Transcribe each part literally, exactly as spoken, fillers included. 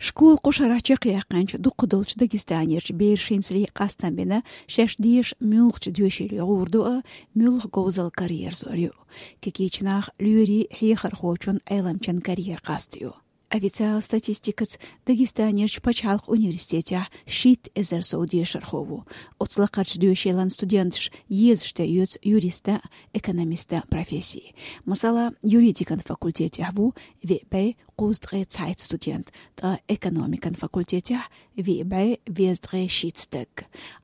Школа кху шарахь чекхъяьккхинчу дукхахдолчу Дагестанерчу берашца къастам бина, шаьш деша муьлхачу доьшийла гӀур ду а, муьлха говзалла караерзор ю. Кегийчу наха лоьрийн, хьехархочун, Ӏеламчун карьера къастайо. Официалан статистикаца Дагестанерчу пачхьалкхан университетехь шийтта эзар сов дешархо ву. Оцу лакхарчу доьшийлан студенташ езаш тӀеоьцу юристан, экономистан профессий. Масала, юридикан факультетехь ву виъ бӀе кхузткъе цхьайтта студент, ткъа экономикан факультетехь виъ бӀе везткъе шийтта стаг.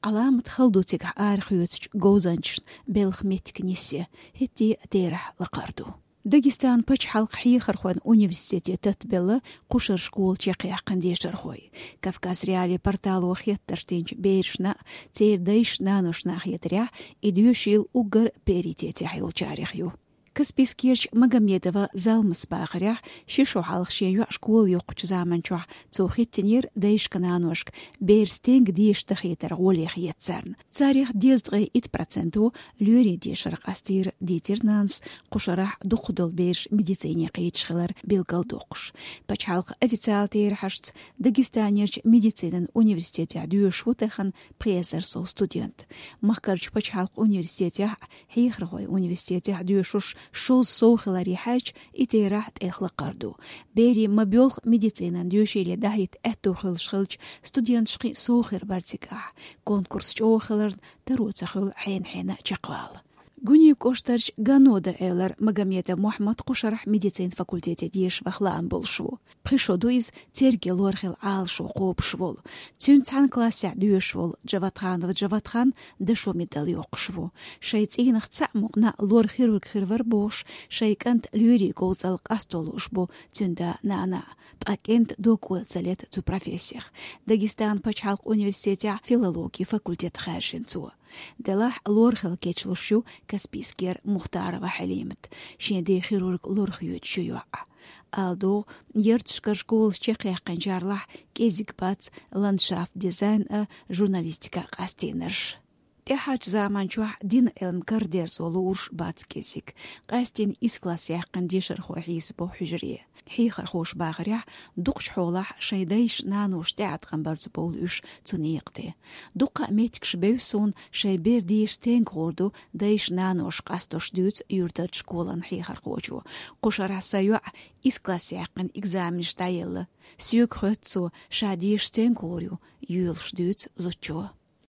Ӏаламат хала ду цигахь арахоьцучу говзанчашна белхан меттиг нисъян, хӀетте а терахь лакхара ду. Дагестанан пачхьалкхан хьехархойн университете таттабелла кху шарахь школа чекхъяьккхина дешархой. Кавказ.Реалии портало хеттарш динчу берашна а, церан дайшна-наношна а хетарехь, и доьшийла уггар приоритетехь йолчарех ю. Каспийскерчу Магомедова Залмас бахарехь, ши шо хьалха шен йоӀ школа йоккхучу заманчохь цо хӀиттинера дайшка-наношка бер стенга деша дахийтар гӀоле хета царна. Царех дезткъе итт проценто лоьрийн дешар къастийра, дийцира нанас кху шарахь дукхахдолу бераш медицине кхеташ хилар билгалдоккхуш. Пачхьалкхан официалан терахьашца, Дагестанерчу медицинан университетехь доьшуш ву тахана пхи эзар сов студент. Махкарчу пачхьалкхан университетехь а, хьехархойн университетехь а доьшурш шовзткъа сов хиларе хьаьжча, и терахь тӀех лакхара ду. Берийн ма-боьлху медицинан доьшийле дахьийта аьтто хуьлуш хилча, студенташ кхин а сов хир бара цигахь. Конкурс чӀогӀа хиларна, таро ца хуьлу хьенан-хьенан чекхвала. Гуьнен кӀоштарчу Ганода элира Магомедов Мухьаммад кху шарахь медицинан факультете дешаш ваха лаам болуш ву. Пхи шо ду иза церган лорхила Ӏалашо кхобуш волу. Цуьнан цхьана классехь доьшуш волу Джаватханов Джаватхан дашо медаль йоккхуш ву. Шайн цӀийнах цхьаъ мукъана лор-хирург хир вара бохуш, шайн кӀанта лоьрийн говзалла къасто лууш бу цуьнан да-нана. Ткъа кӀентан дог-ойла ца лета цу профессех. Дагестанан пачхьалкхан университетехь филологин факультет хаьржина цо. Делахь лорхила кечлуш ю Каспийскера Мухтарова Хьалимат. Шен ден хирург лорхоьцуш ю йоӀ. Ала догӀу, ярташкара школаш чекхъяьккхинчарлахь кӀезиг бац ландшафт-дизайн а, журналистика а къастийнарш. ТӀаьхьарчу заманчохь динан Ӏилма карадерзо луурш бац кӀезиг. Къаьсттина исс класс яьккхина дешархой хьийсабо хьуьжаре. Хьехархоша бахарехь, дукхачу хьолахь шайн дайша-наноша тӀеӀаткъам барца бовлу уьш цу некъа тӀе. Дуккха а меттигаш бевза суна, шайн бер деша стенга гӀур ду дайша-наноша къастош, дуьйцу юьртарчу школан хьехархочо. Кху шарахь сан йоӀ исс класс яьккхина экзаменаш дӀаелла. Соьга хоьтту цо, ша деша стенга гӀур ю, йоьлуш дуьйцу зудчо.